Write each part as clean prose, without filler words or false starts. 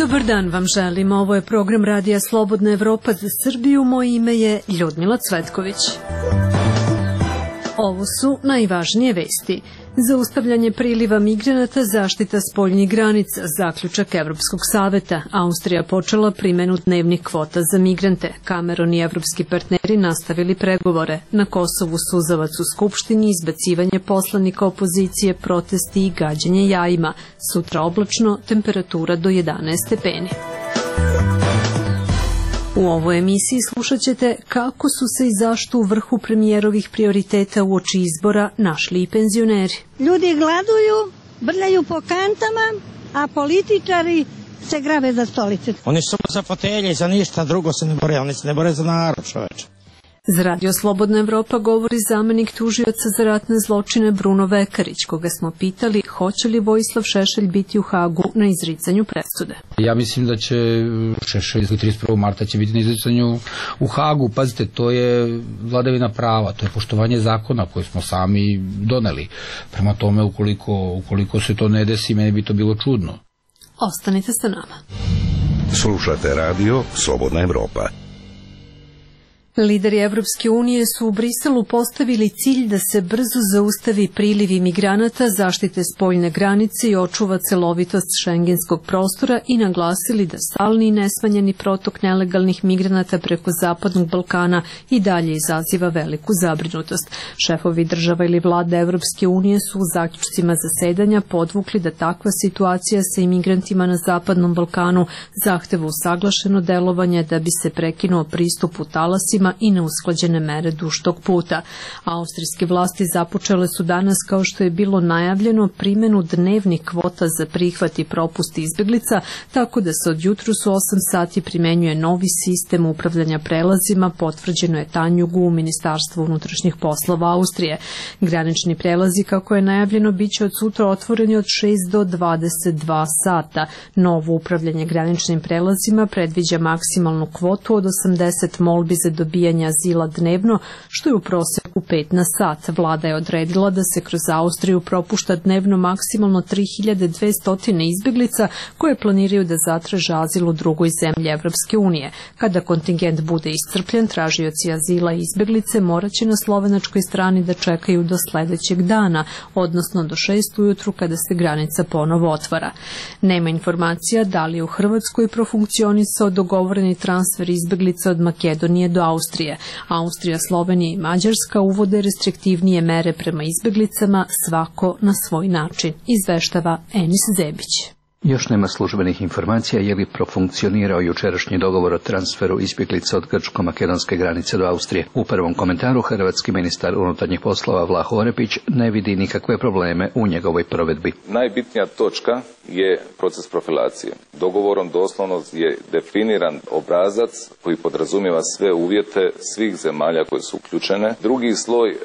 Dobar dan vam želim. Ovo je program Radija Slobodna Evropa za Srbiju. Moje ime je Ljudmila Cvetković. Ovo su najvažnije vesti. Zaustavljanje priliva migranata, zaštita spoljnih granica, zaključak Evropskog saveta. Austrija počela primenu dnevnih kvota za migrante. Cameron i evropski partneri nastavili pregovore. Na Kosovu suzavac u Skupštini, izbacivanje poslanika opozicije, protesti i gađanje jajima. Sutra oblačno, temperatura do 11 stepeni. U ovoj emisiji slušat ćete kako su se i zašto u vrhu premijerovih prioriteta uoči izbora našli i penzioneri. Ljudi gladuju, brljaju po kantama, a političari se grabe za stolice. Oni su za fotelje i za ništa drugo se ne bore, oni se ne bore za narod, čoveče. Za Radio Slobodna Evropa govori zamenik tužioca za ratne zločine Bruno Vekarić, koga smo pitali hoće li Vojislav Šešelj biti u Hagu na izricanju presude. Ja mislim da će Šešelj 31. marta će biti na izricanju u Hagu. Pazite, to je vladavina prava, to je poštovanje zakona koje smo sami doneli. Prema tome, ukoliko se to ne desi, meni bi to bilo čudno. Ostanite sa nama. Slušate Radio Slobodna Evropa. Lideri Evropske unije su u Briselu postavili cilj da se brzo zaustavi priliv imigranata, zaštite spoljne granice i očuva celovitost šengenskog prostora i naglasili da stalni i nesmanjeni protok nelegalnih migranata preko Zapadnog Balkana i dalje izaziva veliku zabrinutost. Šefovi država ili vlada Evropske unije su u zaključcima zasedanja podvukli da takva situacija sa imigrantima na Zapadnom Balkanu zahteva usaglašeno delovanje da bi se prekinuo pristup u talasima i neusklađene mere duž tog puta. Austrijske vlasti započele su danas, kao što je bilo najavljeno, primenu dnevnih kvota za prihvat i propust izbeglica, tako da se od jutros u 8 sati primenjuje novi sistem upravljanja prelazima, potvrđeno je Tanjugu u Ministarstvu unutrašnjih poslova Austrije. Granični prelazi, kako je najavljeno, bit će od sutra otvoreni od 6 do 22 sata. Novo upravljanje graničnim prelazima predviđa maksimalnu kvotu od 80 molbi za dobijanje azila dnevno, što je u proseku 5 na sat. Vlada je odredila da se kroz Austriju propušta dnevno maksimalno 3200 izbeglica koje planiraju da zatraže azil u drugoj zemlji Evropske unije. Kada kontingent bude iscrpljen, tražioci azila i izbeglice moraće na slovenačkoj strani da čekaju do sledećeg dana, odnosno do 6 ujutru kada se granica ponovo otvara. Nema informacija da li je u Hrvatskoj profunkcionisao dogovoreni transfer izbeglica od Makedonije do Austrije. Austrija, Slovenija i Mađarska uvode restriktivnije mere prema izbeglicama, svako na svoj način, izveštava Enis Zebić. Još nema službenih informacija je li profunkcionirao jučerašnji dogovor o transferu izbjeglica od grčko-makedonske granice do Austrije. U prvom komentaru hrvatski ministar unutarnjih poslova Vlaho Orepić ne vidi nikakve probleme u njegovoj provedbi. Najbitnija točka je proces profilacije. Dogovorom doslovno je definiran obrazac koji podrazumijeva sve uvjete svih zemalja koje su uključene. Drugi sloj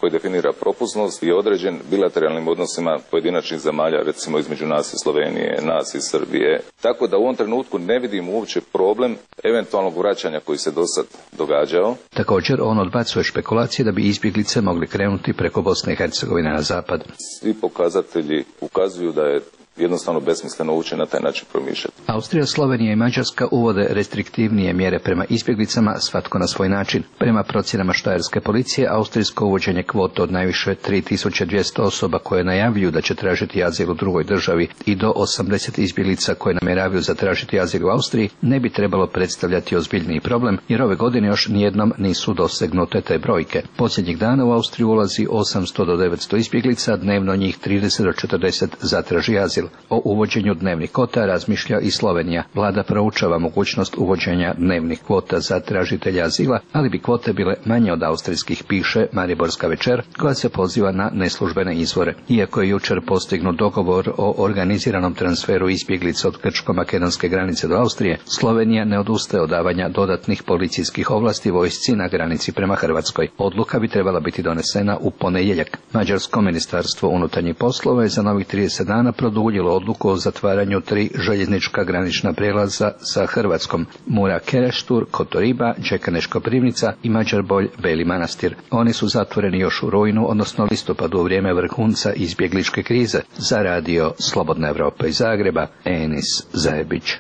koji definira propusnost je određen bilateralnim odnosima pojedinačnih zemalja, recimo između nas i Slovenije, nas i Srbije. Tako da u ovom trenutku ne vidim uopće problem eventualnog vraćanja koji se do sad događao. Također on odbacuje špekulacije da bi izbjeglice mogli krenuti preko Bosne i Hercegovine na zapad. Svi pokazatelji ukazuju da je jednostavno besmisleno ući na taj način promišljati. Austrija, Slovenija i Mađarska uvode restriktivnije mjere prema izbjeglicama, svatko na svoj način. Prema procjenama štajerske policije, austrijsko uvođenje kvota od najviše 3200 osoba koje najavljuju da će tražiti azil u drugoj državi i do 80 izbjeglica koje namjeravaju zatražiti azil u Austriji ne bi trebalo predstavljati ozbiljniji problem, jer ove godine još nijednom nisu dosegnute te brojke. Posljednjih dana u Austriju ulazi 800 do 900 izbjeglica, dnevno njih 30 do 40 zatraži azil. O uvođenju dnevnih kvota razmišlja i Slovenija. Vlada proučava mogućnost uvođenja dnevnih kvota za tražitelja azila, ali bi kvote bile manje od austrijskih, piše Mariborska večer, koja se poziva na neslužbene izvore. Iako je jučer postignut dogovor o organiziranom transferu izbjeglica od grčko-makedonske granice do Austrije, Slovenija ne odustaje od davanja dodatnih policijskih ovlasti vojsci na granici prema Hrvatskoj. Odluka bi trebala biti donesena u ponedjeljak. Mađarsko ministarstvo unutarnjih poslova je za novih 30 dana produljilo odluku o zatvaranju 3 željeznička granična prijelaza sa Hrvatskom: Mura Kereštur, Kotoriba, Đekaneš Koprivnica i Mađarbolj Beli Manastir. Oni su zatvoreni još u rujnu, odnosno listopadu, u vrijeme vrhunca izbjegličke krize. Za Radio Slobodna Evropa iz Zagreba, Enis Zajebić.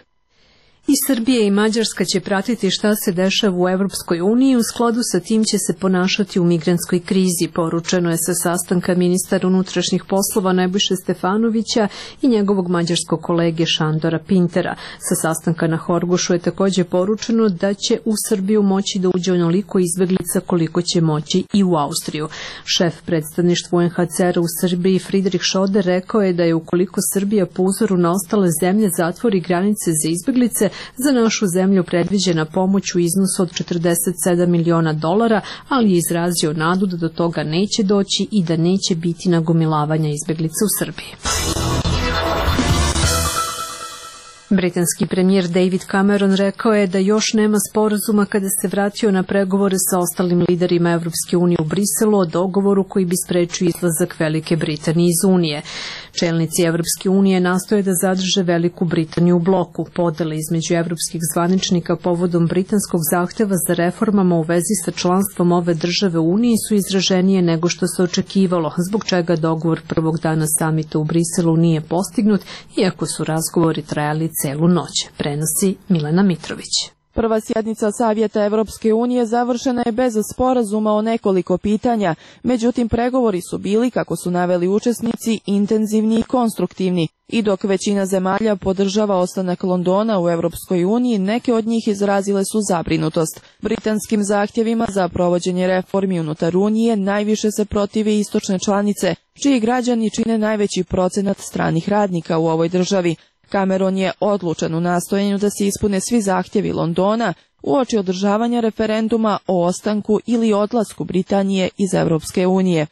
I Srbija i Mađarska će pratiti šta se dešava u Evropskoj uniji, u skladu sa tim će se ponašati u migrantskoj krizi, poručeno je sa sastanka ministara unutrašnjih poslova Nebojše Stefanovića i njegovog mađarskog kolege Šandora Pintera. Sa sastanka na Horgošu je također poručeno da će u Srbiju moći da uđe onoliko izbeglica koliko će moći i u Austriju. Šef predstavništva UNHCR-a u Srbiji Friedrich Schoder rekao je da je ukoliko Srbija po uzoru na ostale zemlje zatvori granice za izbeglice, za našu zemlju predviđena pomoć u iznosu od $47 miliona, ali je izrazio nadu da do toga neće doći i da neće biti nagomilavanja izbeglica u Srbiji. Britanski premijer David Cameron rekao je da još nema sporazuma kada se vratio na pregovore sa ostalim liderima Evropske unije u Briselu o dogovoru koji bi sprečio izlazak Velike Britanije iz Unije. Čelnici Evropske unije nastoje da zadrže Veliku Britaniju u bloku. Podele između evropskih zvaničnika povodom britanskog zahteva za reformama u vezi sa članstvom ove države u Uniji su izraženije nego što se očekivalo, zbog čega dogovor prvog dana samita u Briselu nije postignut, iako su razgovori trajali celu noć, prenosi Milena Mitrović. Prva sjednica Savjeta Evropske unije završena je bez sporazuma o nekoliko pitanja, međutim pregovori su bili, kako su naveli učesnici, intenzivni i konstruktivni. I dok većina zemalja podržava ostanak Londona u Evropskoj uniji, neke od njih izrazile su zabrinutost. Britanskim zahtjevima za provođenje reformi unutar Unije najviše se protive istočne članice, čiji građani čine najveći procenat stranih radnika u ovoj državi. Cameron je odlučan u nastojanju da se ispune svi zahtjevi Londona uoči održavanja referenduma o ostanku ili odlasku Britanije iz Evropske unije.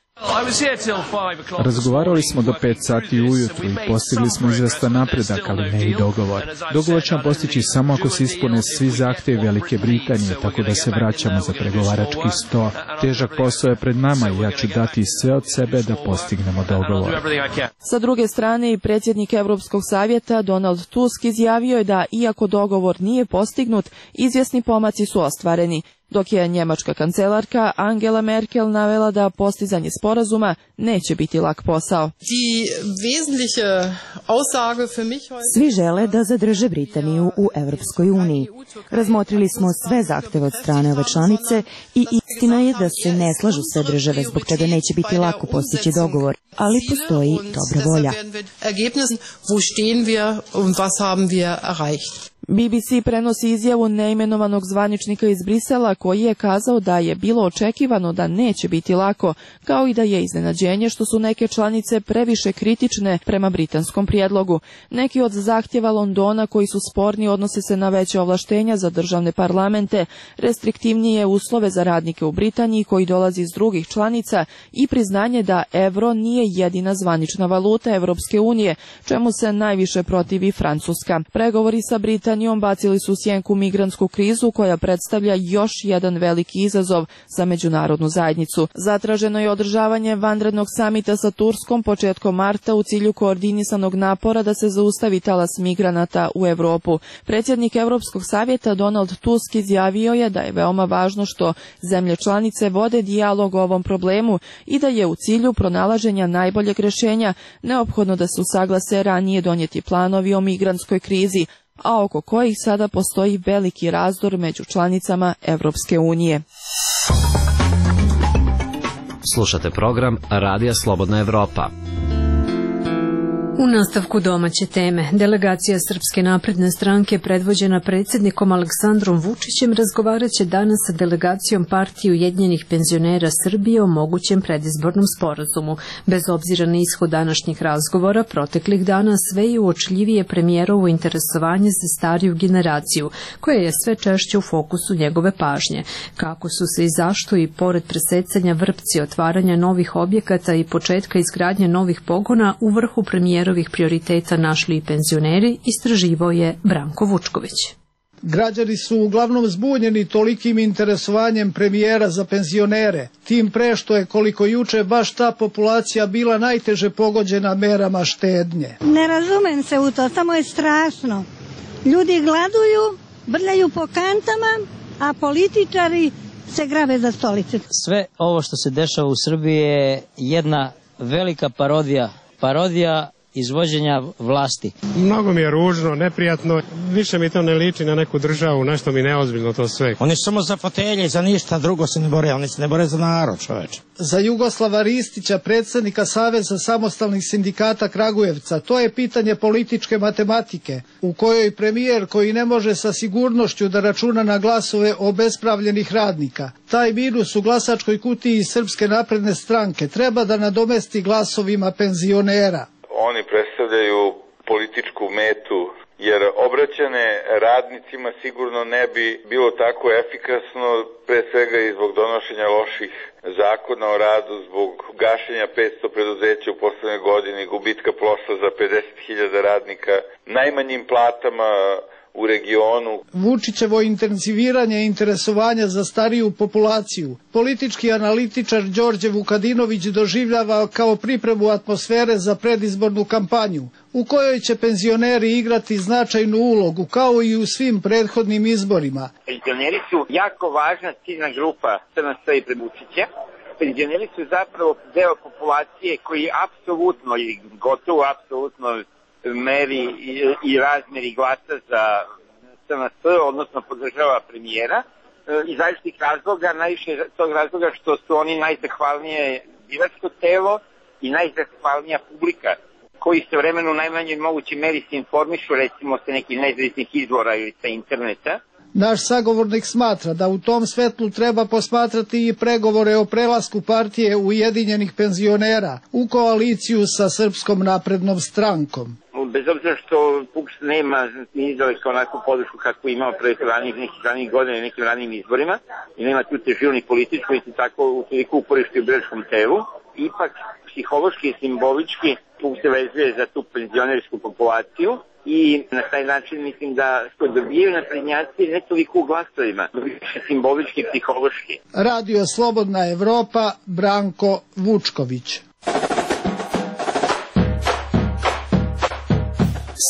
Razgovarali smo do 5 sati ujutru i postigli smo izvestan napredak, ali ne i dogovor. Dogovor ćemo postići samo ako se ispune svi zahtjevi Velike Britanije, tako da se vraćamo za pregovarački sto. Težak posao je pred nama i ja ću dati sve od sebe da postignemo dogovor. Sa druge strane, i predsjednik Evropskog savjeta Donald Tusk izjavio je da, iako dogovor nije postignut, izvjesni pomaci su ostvareni, dok je njemačka kancelarka Angela Merkel navela da postizanje sporazuma neće biti lak posao. Svi žele da zadrže Britaniju u Evropskoj uniji. Razmotrili smo sve zahteve od strane ove članice i istina je da se ne slažu sve države, zbog čega neće biti lako postići dogovor, ali postoji dobra volja. BBC prenosi izjavu neimenovanog zvaničnika iz Brisela koji je kazao da je bilo očekivano da neće biti lako, kao i da je iznenađenje što su neke članice previše kritične prema britanskom prijedlogu. Neki od zahtjeva Londona koji su sporni odnose se na veće ovlaštenja za državne parlamente, restriktivnije uslove za radnike u Britaniji koji dolazi iz drugih članica i priznanje da evro nije jedina zvanična valuta Evropske unije, čemu se najviše protivi Francuska. Pregovori sa Britanijom bacili su sjenku migrantsku krizu koja predstavlja još jedan veliki izazov za međunarodnu zajednicu. Zatraženo je održavanje vanrednog samita sa Turskom početkom marta u cilju koordinisanog napora da se zaustavi talas migranata u Europu. Predsjednik Evropskog savjeta Donald Tusk izjavio je da je veoma važno što zemlje članice vode dijalog o ovom problemu i da je u cilju pronalaženja najboljeg rješenja neophodno da se usaglase ranije donijeti planovi o migrantskoj krizi, a oko kojih sada postoji veliki razdor među članicama Evropske unije. Slušate program Radija Slobodna Evropa. U nastavku domaće teme, delegacija Srpske napredne stranke predvođena predsjednikom Aleksandrom Vučićem razgovarat će danas sa delegacijom Partije ujedinjenih penzionera Srbije o mogućem predizbornom sporazumu. Bez obzira na ishod današnjih razgovora, proteklih dana sve je uočljivije premijerovo interesovanje za stariju generaciju, koja je sve češće u fokusu njegove pažnje. Kako su se i zašto i pored presecanja vrpci, otvaranja novih objekata i početka izgradnje novih pogona u vrhu premijerovih prioriteta našli i penzioneri, istraživao je Branko Vučković. Građani su uglavnom zbunjeni tolikim interesovanjem premijera za penzionere, tim pre što je koliko juče baš ta populacija bila najteže pogođena merama štednje. Ne razumem se u to, samo je strašno. Ljudi gladuju, brljaju po kantama, a političari se grave za stolice. Sve ovo što se dešava u Srbiji je jedna velika parodija izvođenja vlasti. Mnogo mi je ružno, neprijatno, više mi to ne liči na neku državu, nešto mi neozbiljno to sve. Oni su samo za fotelje, za ništa drugo se ne bore, oni se ne bore za narod, čoveče. Za Jugoslava Ristića, predsjednika Saveza samostalnih sindikata Kragujevca, to je pitanje političke matematike, u kojoj premijer koji ne može sa sigurnošću da računa na glasove obespravljenih radnika, taj minus u glasačkoj kutiji Srpske napredne stranke treba da nadomesti glasovima penzionera. Oni predstavljaju političku metu, jer obraćane radnicima sigurno ne bi bilo tako efikasno, pre svega i zbog donošenja loših zakona o radu, zbog gašenja 500 preduzeća u poslednjoj godini, gubitka posla za 50.000 radnika, najmanjim platama u regionu. Vučićevo intenziviranje interesovanja za stariju populaciju politički analitičar Đorđe Vukadinović doživljava kao pripremu atmosfere za predizbornu kampanju, u kojoj će penzioneri igrati značajnu ulogu, kao i u svim prethodnim izborima. Penzioneri su jako važna ciljna grupa SNS i Vučića. Penzioneri su zapravo deo populacije koji apsolutno ili gotovo apsolutno meri i razmeri glasa za SNS, odnosno podržava premijera, iz različitih razloga, najviše tog razloga što su oni najzahvalnije biračko telo i najzahvalnija publika, koji se vremenu u najmanjoj mogućoj meri se informišu, recimo sa nekih nezavisnih izvora ili sa interneta. Naš sagovornik smatra da u tom svetlu treba posmatrati i pregovore o prelasku partije Ujedinjenih penzionera u koaliciju sa Srpskom naprednom strankom. Bez obzira što PUPS nema ni daleko onakvu podršku kako imao pre nekih ranih godina i nekim ranim izborima i nema tu težinu ni političku i tako u toliko uporište u biračkom telu, ipak psihološki i simbolički PUPS se vezuje za tu penzionersku populaciju i na taj način mislim da što dobijaju naprednjaci ne toliko u glasovima, više simbolički i psihološki. Radio Slobodna Evropa, Branko Vučković.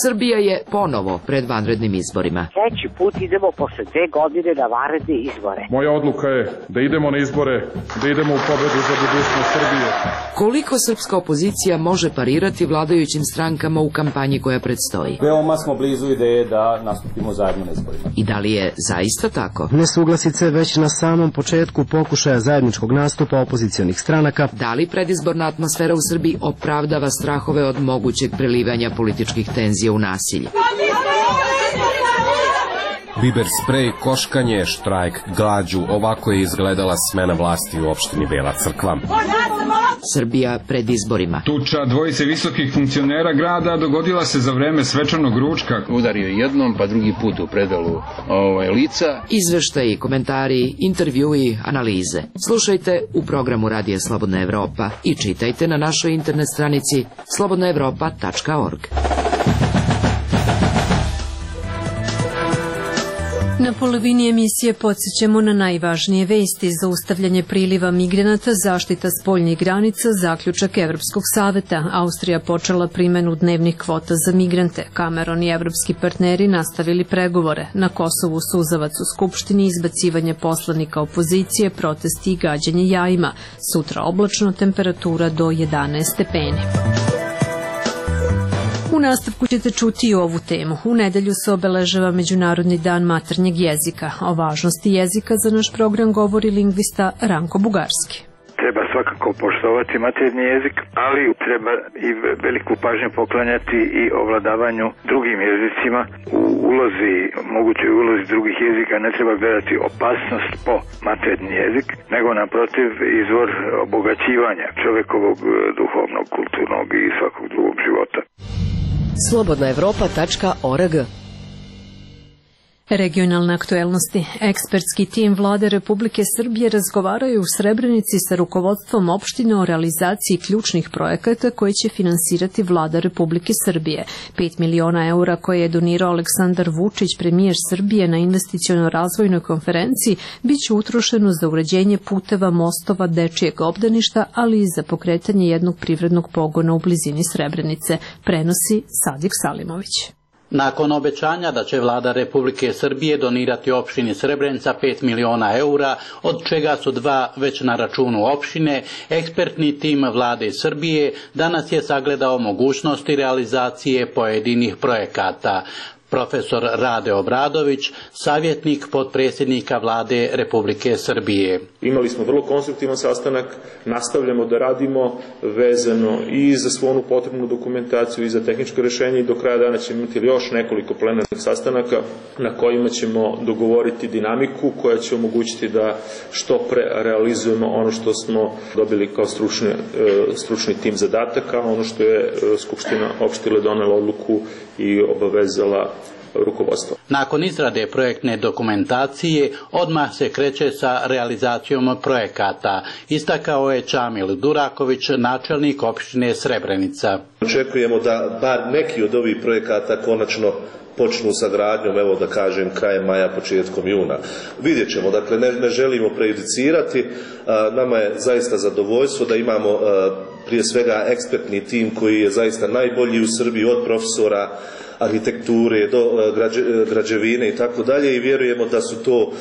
Srbija je ponovo pred vanrednim izborima. Treći put idemo posle 2 godine na vanredne izbore. Moja odluka je da idemo na izbore, da idemo u pobedu za budućnost Srbije. Koliko srpska opozicija može parirati vladajućim strankama u kampanji koja predstoji? Veoma smo blizu ideje da nastupimo zajedno na izborima. I da li je zaista tako? Nesuglasice već na samom početku pokušaja zajedničkog nastupa opozicionih stranaka. Da li predizborna atmosfera u Srbiji opravdava strahove od mogućeg prelivanja političkih tenzija u nasilje? Biber sprej, koškanje, štrajk, glađu, ovako je izgledala smena vlasti u opštini Bela Crkva. Srbija pred izborima. Tuča dvojice visokih funkcionera grada dogodila se za vreme svečanog ručka. Udario jednom, pa drugi put u predalu lica. Izveštaji, komentari, intervjui, analize. Slušajte u programu Radija Slobodna Evropa i čitajte na našoj internet stranici slobodnaevropa.org. Na polovini emisije podsjećamo na najvažnije vesti: zaustavljanje priliva migranata, zaštita spoljnih granica, zaključak Evropskog saveta. Austrija počela primenu dnevnih kvota za migrante. Cameron i evropski partneri nastavili pregovore. Na Kosovu suzavac u Skupštini, izbacivanje poslanika opozicije, protesti i gađanje jajima. Sutra oblačno, temperatura do 11 stepeni. U nastavku ćete čuti i ovu temu. U nedelju se obeležava Međunarodni dan maternjeg jezika. O važnosti jezika za naš program govori lingvista Ranko Bugarski. Treba svakako poštovati maternji jezik, ali treba i veliku pažnju poklanjati i ovladavanju drugim jezicima. U mogućoj ulozi drugih jezika ne treba gledati opasnost po maternji jezik, nego naprotiv izvor obogaćivanja čovekovog duhovnog, kulturnog i svakog drugog života. slobodnaevropa.org. Regionalne aktuelnosti. Ekspertski tim Vlade Republike Srbije razgovaraju u Srebrenici sa rukovodstvom opštine o realizaciji ključnih projekata koje će finansirati Vlada Republike Srbije. 5 miliona eura koje je donirao Aleksandar Vučić, premijer Srbije, na investiciono-razvojnoj konferenciji biće utrošeno za uređenje puteva, mostova, dečijeg obdaništa, ali i za pokretanje jednog privrednog pogona u blizini Srebrenice, prenosi Sadik Salimović. Nakon obećanja da će vlada Republike Srbije donirati opštini Srebrenica 5 miliona eura, od čega su 2 već na računu opštine, ekspertni tim vlade Srbije danas je sagledao mogućnosti realizacije pojedinih projekata. Profesor Rade Obradović, savjetnik potpredsjednika vlade Republike Srbije. Imali smo vrlo konstruktivan sastanak, nastavljamo da radimo vezano i za svu onu potrebnu dokumentaciju i za tehničko rješenje i do kraja dana ćemo imati još nekoliko plenarnih sastanaka na kojima ćemo dogovoriti dinamiku koja će omogućiti da što pre realizujemo ono što smo dobili kao stručni tim zadataka, ono što je Skupština opštine donela odluku i obavezala rukovodstvo. Nakon izrade projektne dokumentacije odmah se kreće sa realizacijom projekata, istakao je Čamil Duraković, načelnik opštine Srebrenica. Očekujemo da bar neki od ovih projekata konačno počnu sa gradnjom, evo da kažem, krajem maja, početkom juna. Vidjet ćemo, dakle ne želimo prejudicirati, nama je zaista zadovoljstvo da imamo prije svega ekspertni tim koji je zaista najbolji u Srbiji, od profesora arhitekture do građevine i tako dalje, i vjerujemo da su to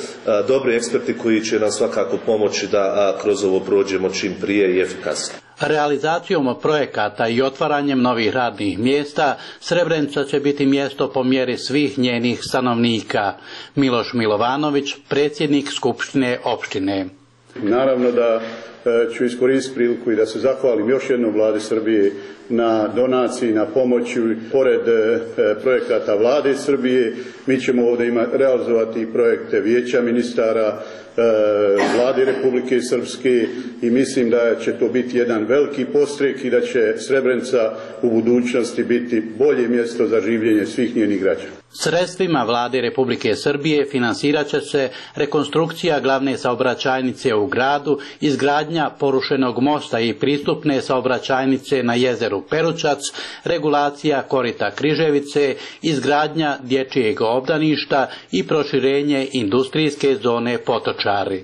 dobri eksperti koji će nam svakako pomoći da kroz ovo prođemo čim prije i efikasno. Realizacijom projekata i otvaranjem novih radnih mjesta Srebrenica će biti mjesto po mjeri svih njenih stanovnika. Miloš Milovanović, predsjednik Skupštine opštine. Naravno da ću iskoristiti priliku i da se zahvalim još jednom vladi Srbije na donaciji, na pomoći. Pored projekata vlade Srbije, mi ćemo ovdje realizovati projekte vijeća ministara, vlade Republike Srpske, i mislim da će to biti jedan veliki podstrek i da će Srebrenica u budućnosti biti bolje mjesto za življenje svih njenih građana. Sredstvima vlade Republike Srbije finansirat će se rekonstrukcija glavne saobraćajnice u gradu, izgradnja porušenog mosta i pristupne saobraćajnice na jezeru Peručac, regulacija korita Križevice, izgradnja dječjeg obdaništa i proširenje industrijske zone Potočari.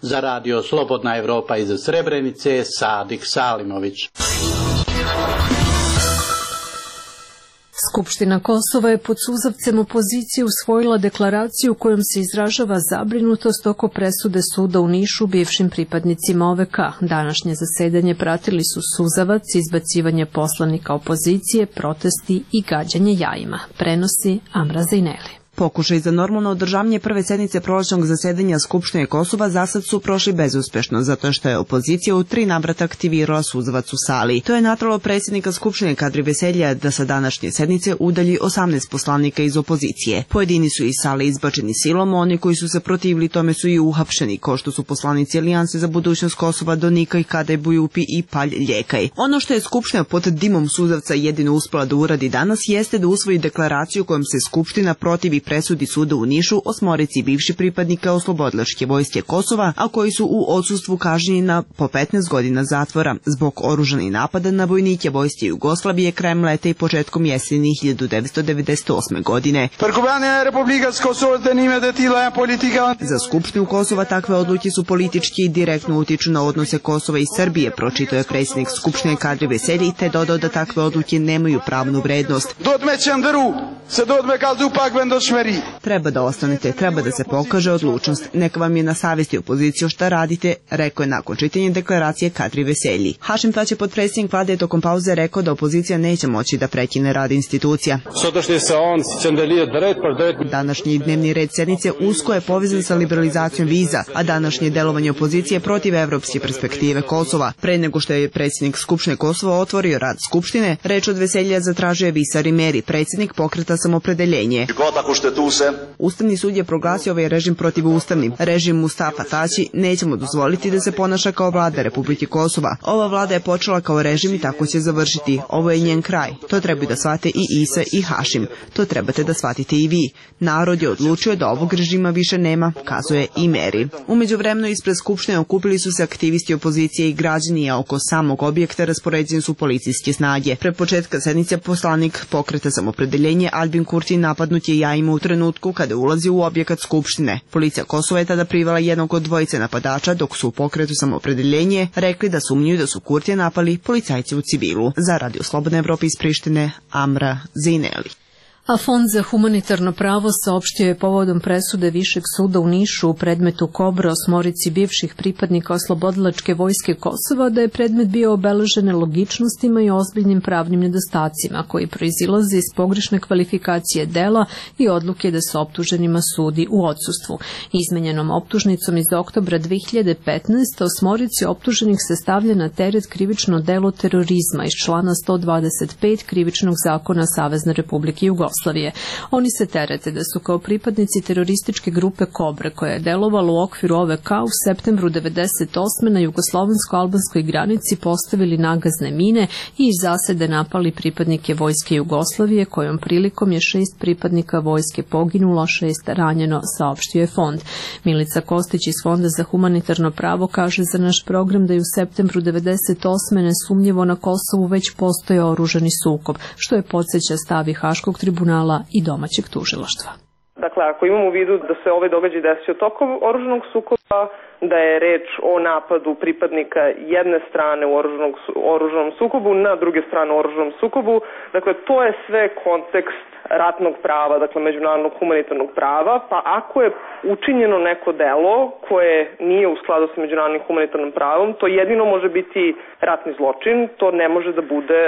Za radio Slobodna Evropa iz Srebrenice, Sadik Salimović. Skupština Kosova je pod suzavcem opozicije usvojila deklaraciju kojom se izražava zabrinutost oko presude suda u Nišu bivšim pripadnicima OVK. Današnje zasedanje pratili su suzavac, izbacivanje poslanika opozicije, protesti i gađanje jajima. Prenosi Amra Zajneli. Pokušaj za normalno održavanje prve sednice prolećnog zasedanja Skupštine Kosova zasad su prošli bezuspešno, zato što je opozicija u 3 navrata aktivirala suzavac u sali. To je natralo predsjednika Skupštine Kadri Veselja da sa današnje sednice udalji 18 poslanika iz opozicije. Pojedini su iz sale izbačeni silom, oni koji su se protivili tome su i uhapšeni, kao što su poslanici Alijanse za budućnost Kosova Donika i Kadaj Bujupi i Palj Ljekaj. Ono što je Skupština pod dimom suzavca jedino uspela da uradi danas jeste da usvoji deklaraciju kojom se Skupština protivi presudi suda u Nišu 8 bivših pripadnika Oslobodilačke vojske Kosova, a koji su u odsustvu kažnjeni na po 15 godina zatvora zbog oružanih napada na vojnike vojske Jugoslavije krajem leta i početkom jeseni 1998. godine. Za Skupštinu Kosova takve odluke su politički i direktno utiču na odnose Kosova i Srbije, pročitao je predsjednik Skupštine Kadri Veselji, te dodao da takve odluke nemaju pravnu vrednost. Treba da ostanete, treba da se pokaže odlučnost. Neka vam je na savjesti opoziciju šta radite, rekao je nakon čitanja deklaracije Kadri Veselji. Hašim Tači, potpredsjednik vlade, tokom pauze rekao da opozicija neće moći da prekine rad institucija. Današnji dnevni red sednice usko je povezan sa liberalizacijom viza, a današnje delovanje opozicije protiv evropske perspektive Kosova. Pre nego što je predsjednik Skupštine Kosova otvorio rad Skupštine, reč od Veselja zatražio je Visar Imeri, predsjednik Pokreta Samopredeljenje. Ustavni sud je proglasio ovaj režim protivustavnim. Režim Mustafa Tači nećemo dozvoliti da se ponaša kao vlada Republike Kosova. Ova vlada je počela kao režim i tako će završiti. Ovo je njen kraj. To trebaju da shvate i Isa i Hašim. To trebate da shvatite i vi. Narod je odlučio da ovog režima više nema, kazuje Imeri. U međuvremenu ispred Skupštine okupili su se aktivisti opozicije i građani, a oko samog objekta raspoređene su policijske snage. Pre početka sednice poslanik Pokreta Samopredeljenje Albin Kurti napadnut je jajima u trenutku kada ulazi u objekat Skupštine. Policija Kosova je tada privala jednog od dvojice napadača, dok su u Pokretu Samopredeljenje rekli da sumnjuju da su Kurtija napali policajci u civilu. Za radio Slobodna Evropa iz Prištine, Amra Zajneli. A Fond za humanitarno pravo saopštio je povodom presude Višeg suda u Nišu u predmetu Kobra osmorici bivših pripadnika oslobodilačke vojske Kosova da je predmet bio obeležen nelogičnostima i ozbiljnim pravnim nedostacima koji proizilaze iz pogrešne kvalifikacije dela i odluke da se optuženima sudi u odsustvu. Izmenjenom optužnicom iz oktobra 2015. osmorici optuženih se stavlja na teret krivično delo terorizma iz člana 125 Krivičnog zakona Savezne Republike Jugoslavije. Oni se terete da su kao pripadnici terorističke grupe Kobre, koja je delovala u okviru OVK u septembru 1998. na jugoslovensko-albanskoj granici postavili nagazne mine i iz zasede napali pripadnike vojske Jugoslavije, kojom prilikom je 6 pripadnika vojske poginulo, 6 ranjeno, saopštio je fond. Milica Kostić iz Fonda za humanitarno pravo kaže za naš program da je u septembru 1998. nesumnjivo na Kosovu već postoje oružani sukob, što je podsjeća stavi Haškog tribunala i domaćeg tužilaštva. Dakle, ako imamo u vidu da se ovaj događaj desio tokom oružanog sukoba, da je reč o napadu pripadnika jedne strane u oružanom sukobu na druge strane u oružanom sukobu, dakle, to je sve kontekst ratnog prava, dakle međunarodnog humanitarnog prava, pa ako je učinjeno neko delo koje nije u skladu sa međunarodnim humanitarnim pravom, to jedino može biti ratni zločin, to ne može da bude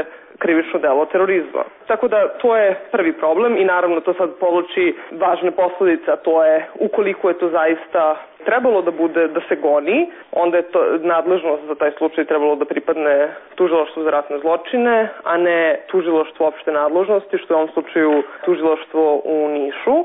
krivično delo terorizma. Tako da to je prvi problem i naravno to sad povlači važne posledice, a to je ukoliko je to zaista trebalo da bude, da se goni, onda je to nadležnost za taj slučaj trebalo da pripadne tužilaštvu za ratne zločine, a ne tužilaštvu opšte nadležnosti, što je u ovom slučaju tužilaštvo u Nišu.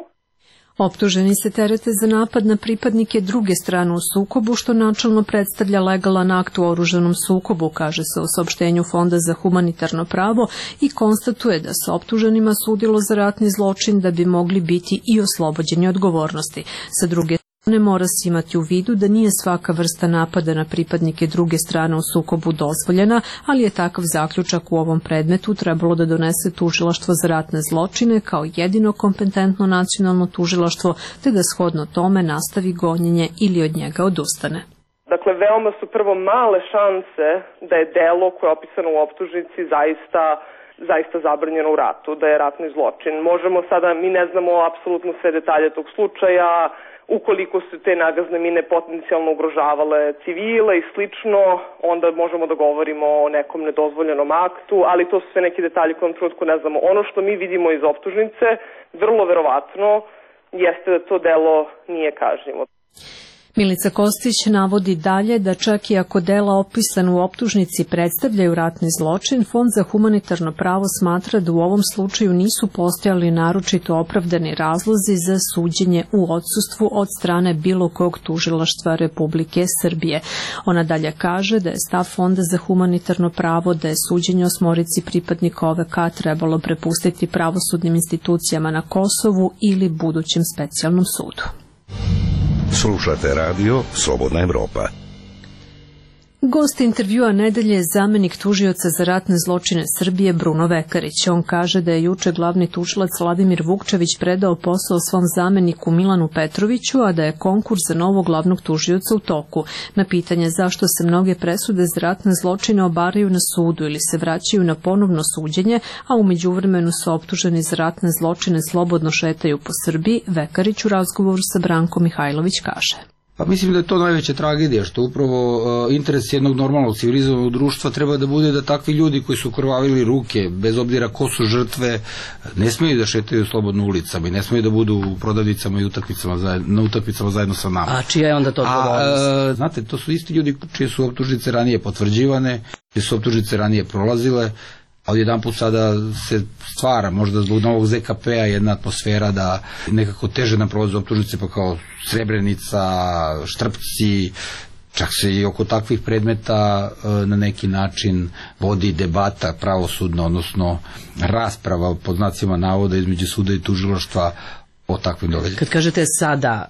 Optuženi se terete za napad na pripadnike druge strane u sukobu, što načelno predstavlja legalan akt u oružanom sukobu, kaže se u saopštenju Fonda za humanitarno pravo i konstatuje da se optuženima sudilo za ratni zločin da bi mogli biti i oslobođeni odgovornosti. Sa druge ne mora se imati u vidu da nije svaka vrsta napada na pripadnike druge strane u sukobu dozvoljena, ali je takav zaključak u ovom predmetu trebalo da donese tužilaštvo za ratne zločine kao jedino kompetentno nacionalno tužilaštvo, te da shodno tome nastavi gonjenje ili od njega odustane. Dakle, veoma su prvo male šanse da je delo koje je opisano u optužnici zaista zabranjeno u ratu, da je ratni zločin. Možemo sada, mi ne znamo apsolutno sve detalje tog slučaja, ukoliko su te nagazne mine potencijalno ugrožavale civile i slično, onda možemo da govorimo o nekom nedozvoljenom aktu, ali to su sve neki detalji koje u trenutku ne znamo. Ono što mi vidimo iz optužnice, vrlo verovatno, jeste da to delo nije kažnjivo. Milica Kostić navodi dalje da čak i ako dela opisana u optužnici predstavljaju ratni zločin, Fond za humanitarno pravo smatra da u ovom slučaju nisu postojali naročito opravdani razlozi za suđenje u odsustvu od strane bilo kog tužilaštva Republike Srbije. Ona dalje kaže da je stav Fonda za humanitarno pravo da je suđenje osmorici pripadnika OVK trebalo prepustiti pravosudnim institucijama na Kosovu ili budućem specijalnom sudu. Slušate radio Slobodna Evropa. Gost intervjua nedelje je zamenik tužioca za ratne zločine Srbije Bruno Vekarić. On kaže da je juče glavni tužilac Vladimir Vukčević predao posao svom zameniku Milanu Petroviću, a da je konkurs za novog glavnog tužioca u toku. Na pitanje zašto se mnoge presude za ratne zločine obaraju na sudu ili se vraćaju na ponovno suđenje, a u međuvremenu su optuženi za ratne zločine slobodno šetaju po Srbiji, Vekarić u razgovoru sa Brankom Mihajlović kaže. Pa mislim da je to najveća tragedija, što upravo interes jednog normalnog civilizovanog društva treba da bude da takvi ljudi koji su krvavili ruke, bez obzira ko su žrtve, ne smeju da šetaju slobodno ulicama i ne smeju da budu u prodavnicama i na utakmicama zajedno sa nama. A čija je onda to odgovornost? Znate, to su isti ljudi čije su optužnice ranije potvrđivane, čije su optužnice ranije prolazile, a odjedanput sada se stvara, možda zbog novog ZKP-a, jedna atmosfera da nekako teže nam prolaze optužnice, pa kao Srebrenica, Štrpci, čak se i oko takvih predmeta na neki način vodi debata pravosudna, odnosno rasprava pod znacima navoda između suda i tužilaštva o takvim događajima. Kad kažete sada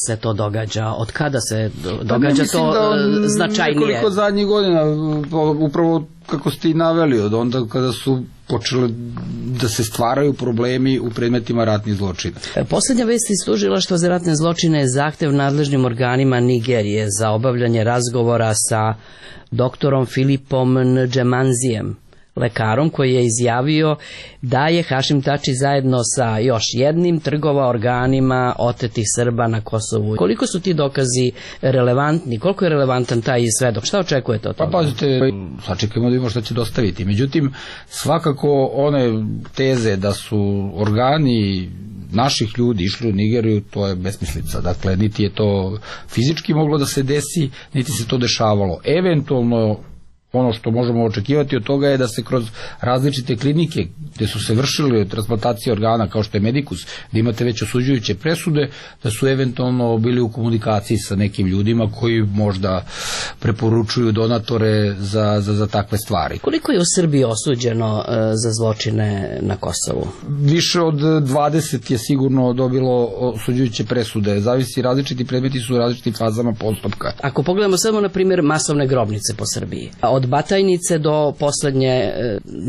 se to događa, od kada se događa to značajnije? Nekoliko zadnjih godina, upravo kako ste i naveli, od onda kada su počele da se stvaraju problemi u predmetima ratnih zločina. Poslednja vest iz tužilaštva za ratne zločine je zahtev nadležnim organima Nigerije za obavljanje razgovora sa doktorom Filipom Ndžemanzijem, lekarom koji je izjavio da je Hašim Tači zajedno sa još jednim trgovao organima otetih Srba na Kosovu. Koliko su ti dokazi relevantni? Koliko je relevantan taj svedok? Šta očekujete od toga? Pa pazite, sačekajmo da vidimo šta će dostaviti. Međutim, svakako one teze da su organi naših ljudi išli u Nigeriju, to je besmislica. Dakle, niti je to fizički moglo da se desi, niti se to dešavalo. Eventualno, ono što možemo očekivati od toga je da se kroz različite klinike gde su se vršile transplantacije organa kao što je Medikus, da imate već osuđujuće presude, da su eventualno bili u komunikaciji sa nekim ljudima koji možda preporučuju donatore za takve stvari. Koliko je u Srbiji osuđeno za zločine na Kosovu? Više od 20 je sigurno dobilo osuđujuće presude. Zavisi, različiti predmeti su u različitim fazama postupka. Ako pogledamo samo na primjer masovne grobnice po Srbiji, od Batajnice do poslednje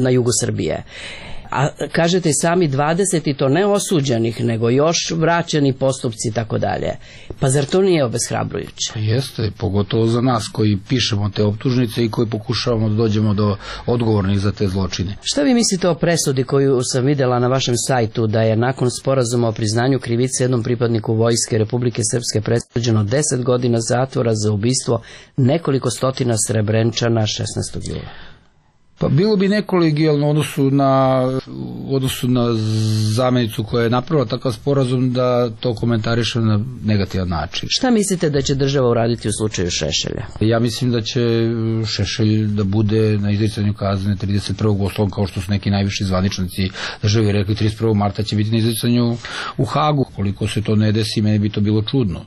na jugu Srbije. A kažete sami 20 i to ne osuđenih, nego još vraćeni postupci i tako dalje. Pa zar to nije obeshrabrujuće? Jeste, pogotovo za nas koji pišemo te optužnice i koji pokušavamo da dođemo do odgovornih za te zločine. Šta vi mislite o presudi koju sam videla na vašem sajtu, da je nakon sporazuma o priznanju krivice jednom pripadniku Vojske Republike Srpske presuđeno 10 godina zatvora za ubistvo nekoliko stotina Srebrenčana 16. jula? Pa bilo bi nekolegijalno u odnosu na zamenicu koja je napravila takav sporazum da to komentariše na negativan način. Šta mislite da će država uraditi u slučaju Šešelja? Ja mislim da će Šešelj da bude na izricanju kazne 31. oslovom, kao što su neki najviši zvaničnici države rekli, 31. marta će biti na izricanju u Hagu. Koliko se to ne desi, meni bi to bilo čudno.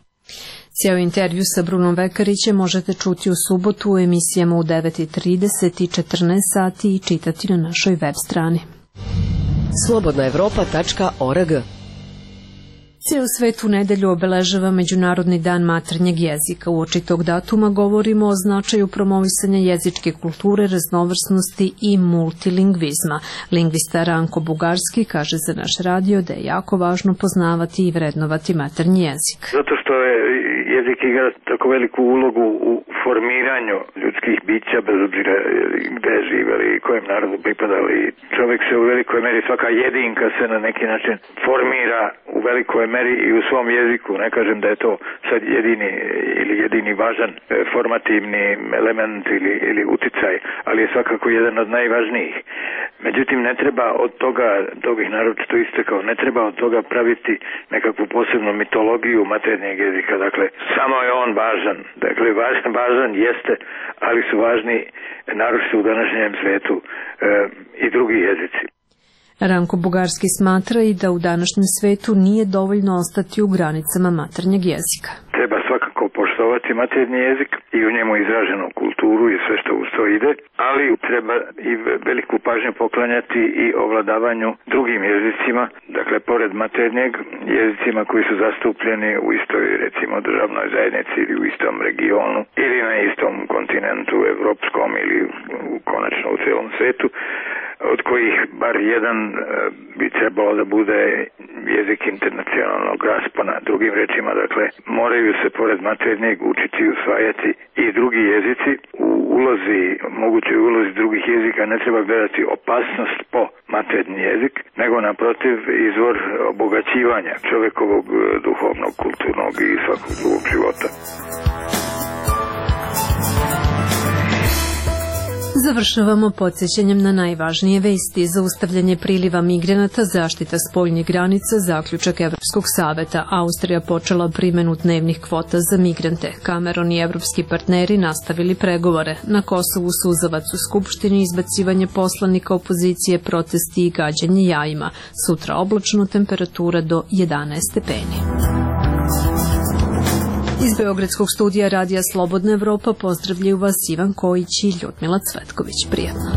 Cijel intervju sa Brunom Vekarićem možete čuti u subotu u emisijama u 9:30 i 14 sati i čitati na našoj web strani. slobodnaevropa.org. Cijel svet u nedelju obeležava Međunarodni dan maternjeg jezika. Uoči tog datuma govorimo o značaju promovisanja jezičke kulture, raznovrsnosti i multilingvizma. Lingvista Ranko Bugarski kaže za naš radio da je jako važno poznavati i vrednovati maternji jezik. Zato što je jezik igra tako veliku ulogu u formiranju ljudskih bića, bez obzira gde živeli i kojem narodu pripadali. Čovjek se u velikoj meri, svaka jedinka se na neki način formira u velikoj meri i u svom jeziku. Ne kažem da je to sad jedini važan formativni element ili uticaj, ali je svakako jedan od najvažnijih. Međutim, ne treba od toga, to bih naročito istakao, ne treba od toga praviti nekakvu posebnu mitologiju maternjeg jezika. Dakle, samo je on važan. Dakle, važan jeste, ali su važni naročito u današnjem svetu i drugi jezici. Ranko Bugarski smatra i da u današnjem svetu nije dovoljno ostati u granicama maternjeg jezika. Treba svakako poštovati maternji jezik i u njemu izraženu kulturu i sve što uz to ide, ali treba i veliku pažnju poklanjati i ovladavanju drugim jezicima, dakle pored maternjeg, jezicima koji su zastupljeni u istoj, recimo, državnoj zajednici ili u istom regionu ili na istom kontinentu evropskom ili konačno u celom svetu, od kojih bar jedan bi trebalo da bude jezik internacionalnog raspona. Drugim rečima, dakle, moraju se pored maternjeg učiti i usvajati i drugi jezici. U mogućoj ulozi drugih jezika ne treba gledati opasnost po maternji jezik, nego naprotiv izvor obogaćivanja čovekovog duhovnog, kulturnog i svakog drugog života. Završavamo podsjećanjem na najvažnije vesti: zaustavljanje priliva migranata, zaštita spoljnih granica, zaključak Evropskog saveta. Austrija počela primjenu dnevnih kvota za migrante. Cameron i evropski partneri nastavili pregovore. Na Kosovu suzavac u Skupštini, izbacivanje poslanika opozicije, protesti i gađanje jajima. Sutra oblačno, temperatura do 11 stepeni. Iz Beogradskog studija Radija Slobodna Evropa pozdravljaju vas Ivan Kojić i Ljudmila Cvetković. Prijetno.